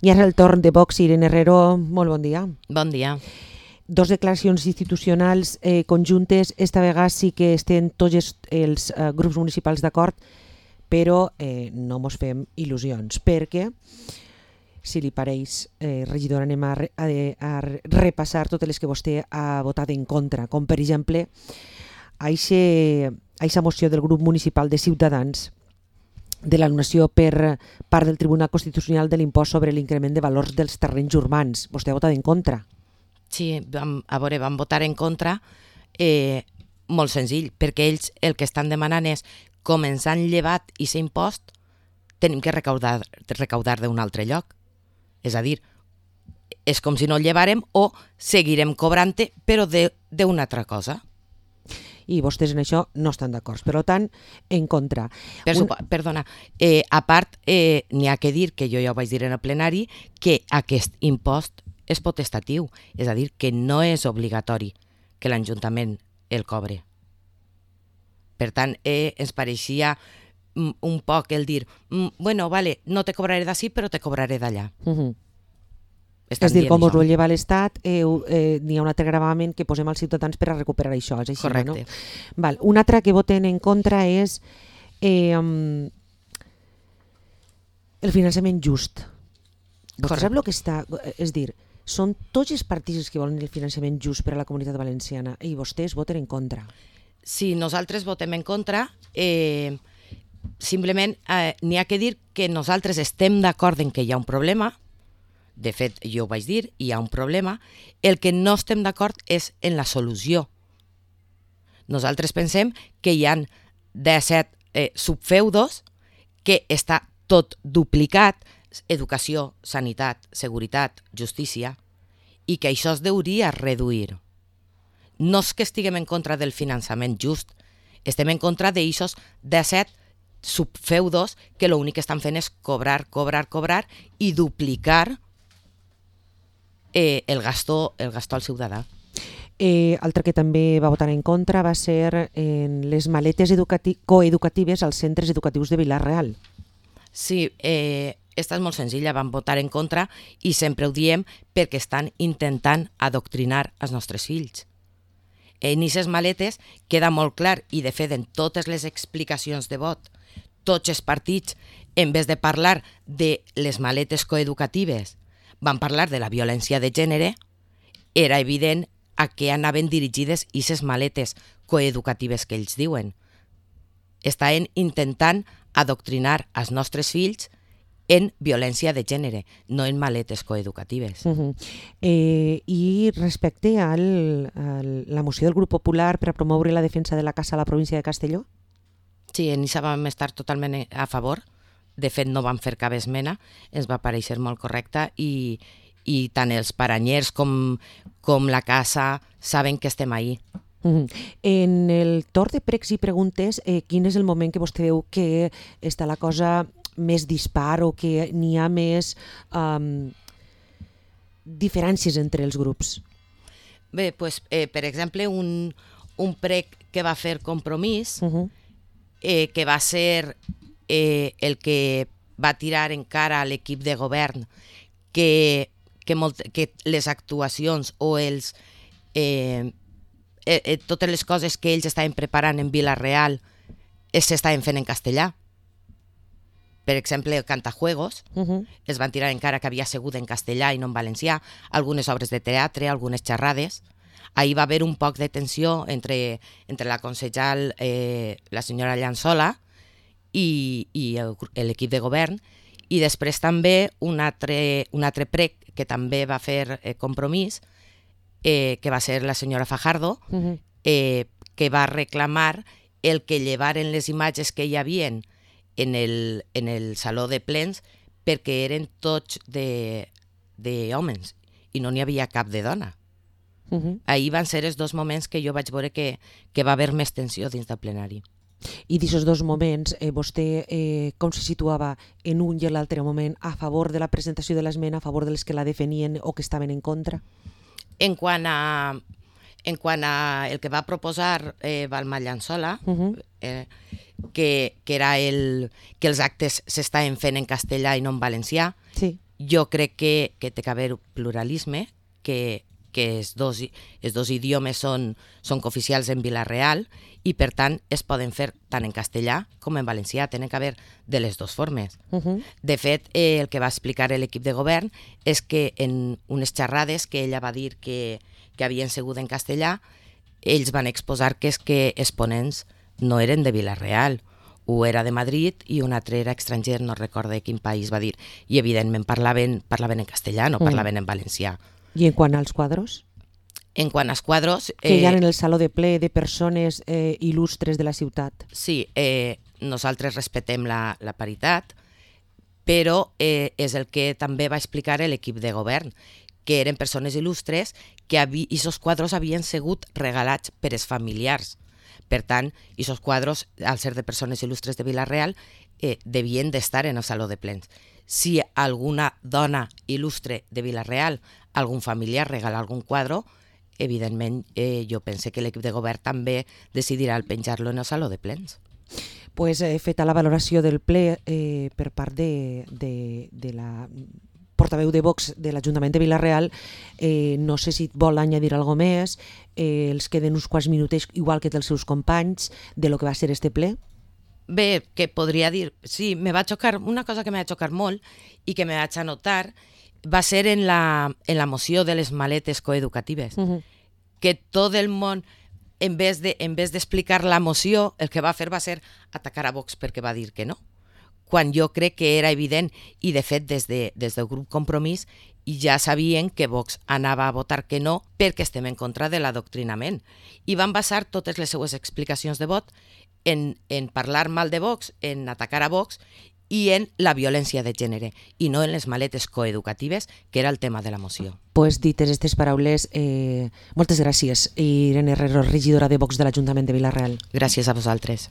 I ara el torn de Vox. Irene Herrero, molt bon dia. Bon dia. Dos declaracions institucionals conjuntes. Esta vegada sí que estem tots els grups municipals d'acord, però no mos fem il·lusions, perquè, si li pareix, regidora, anem a repassar totes les que vostè ha votat en contra, com per exemple a aquesta moció del grup municipal de Ciutadans de l'anul·lació per part del Tribunal Constitucional de l'impost sobre l'increment de valors dels terrenys urbans. Vostè ha votat en contra. Sí, vam votar en contra, molt senzill, perquè ells el que estan demanant és, com ens han llevat aquest impost, tenim que recaudar d'un altre lloc. És a dir, és com si no el llevàrem o seguirem cobrant-te, però d'una altra cosa. I vostès en això no estan d'acord, per tant, en contra. Perdona, a part, n'hi ha que dir, que jo ja ho vaig dir en el plenari, que aquest impost és potestatiu, és a dir, que no és obligatori que l'Ajuntament el cobre. Per tant, ens pareixia un poc el dir, bueno, vale, no te cobraré d'ací, però te cobraré d'allà. És dir, com us ho lleva l'Estat, n'hi ha un altre gravamen que posem als ciutadans per a recuperar això. És així, correcte. No? Val. Un altre que voten en contra és el finançament just. Vostè sap el que està... És dir, són tots els partits que volen el finançament just per a la comunitat valenciana i vostès voten en contra. Sí, nosaltres votem en contra. Simplement n'hi ha que dir que nosaltres estem d'acord en que hi ha un problema. De fet, jo ho vaig dir, hi ha un problema. El que no estem d'acord és en la solució. Nosaltres pensem que hi ha 17 subfeudos, que està tot duplicat, educació, sanitat, seguretat, justícia, i que això es deuria reduir. No és que estiguem en contra del finançament just, estem en contra d'aixòs 17 subfeudos que l'únic que estan fent és cobrar i duplicar el gasto al ciutadà. Altre que també va votar en contra va ser en les maletes coeducatives als centres educatius de Vila-real. Sí, esta és molt senzilla, vam votar en contra i sempre ho diem perquè estan intentant adoctrinar els nostres fills. En aquestes maletes queda molt clar, i de fet en totes les explicacions de vot, tots els partits, en vez de parlar de les maletes coeducatives, van parlar de la violència de gènere, era evident a què anaven dirigides aquestes maletes coeducatives que ells diuen. Estaven intentant adoctrinar els nostres fills en violència de gènere, no en maletes coeducatives. I respecte a la moció del Grup Popular per a promoure la defensa de la caça a la província de Castelló? Sí, en això vam estar totalment a favor. De fet, no vam fer cap esmena, ens va parèixer molt correcta i tant els paranyers com la casa saben que estem ahí. En el torn de pregs i preguntes, quin és el moment que vostè veu que està la cosa més dispar o que n'hi ha més diferències entre els grups? Bé, doncs, per exemple, un prec que va fer Compromís, que va ser el que va tirar encara a l'equip de govern que les actuacions o totes les coses que ells estaven preparant en Vila-real s'estaven fent en castellà. Per exemple, el Cantajuegos es van tirar encara que havia sigut en castellà i no en valencià, algunes obres de teatre, algunes xerrades. Ahir va haver un poc de tensió entre la consellera, la senyora Llançola, i l'equip de govern, i després també un altre prec que també va fer Compromís, que va ser la senyora Fajardo, que va reclamar el que llevaren les imatges que hi havia en el saló de plens perquè eren tots d'homes i no n'hi havia cap de dona. Ahir van ser els dos moments que jo vaig veure que va haver més tensió dins del plenari. I d'aquests dos moments, vostè com se situava en un i l'altre moment a favor de la presentació de l'esmena, a favor dels que la defenien o que estaven en contra? En quant a el que va proposar Balma Llançola, que era que els actes s'estaven fent en castellà i no en valencià, sí, Jo crec que té que haver pluralisme, que els dos idiomes són cooficials en Vila-real i, per tant, es poden fer tant en castellà com en valencià. Tenen que haver de les dues formes. De fet, el que va explicar l'equip de govern és que en unes xerrades que ella va dir que havien sigut en castellà, ells van exposar que és que els ponents no eren de Vila-real, un era de Madrid i un altre era estranger, no recordo quin país va dir, i evidentment parlaven en castellà, no parlaven en valencià. I en quant als quadros? En quant als quadros... Que hi ha en el saló de ple de persones il·lustres de la ciutat. Sí, nosaltres respetem la paritat, però és el que també va explicar l'equip de govern, que eren persones il·lustres que aquests quadros havien sigut regalats per els familiars. Per tant, aquests quadros, al ser de persones il·lustres de Vila-real, devien d'estar en el saló de plens. Si alguna dona il·lustre de Vila-real, algun familiar regala algun quadro, evidentment jo pense que l'equip de govern també decidirà el penjar-lo en el saló de plens. Pues feta la valoració del ple per part de la portaveu de Vox de l'Ajuntament de Vila-real, no sé si vol añadir alguna més, els queden uns quants minutets, igual que dels seus companys, de lo que va ser este ple. Bé, que podria dir, sí, me va xocar, una cosa que me va xocar molt i que me vaig anotar va ser en la moció de les maletes coeducatives, que tot el món, en vez d'explicar la moció, el que va fer va ser atacar a Vox perquè va dir que no, quan jo crec que era evident, i de fet des del grup Compromís ja sabien que Vox anava a votar que no perquè estem en contra de l'adoctrinament, i van basar totes les seues explicacions de vot en parlar mal de Vox, en atacar a Vox i en la violència de gènere, i no en les maletes coeducatives, que era el tema de la moció. Pues dites aquestes paraules, moltes gràcies. Irene Herrero, regidora de Vox de l'Ajuntament de Vila-real. Gràcies a vosaltres.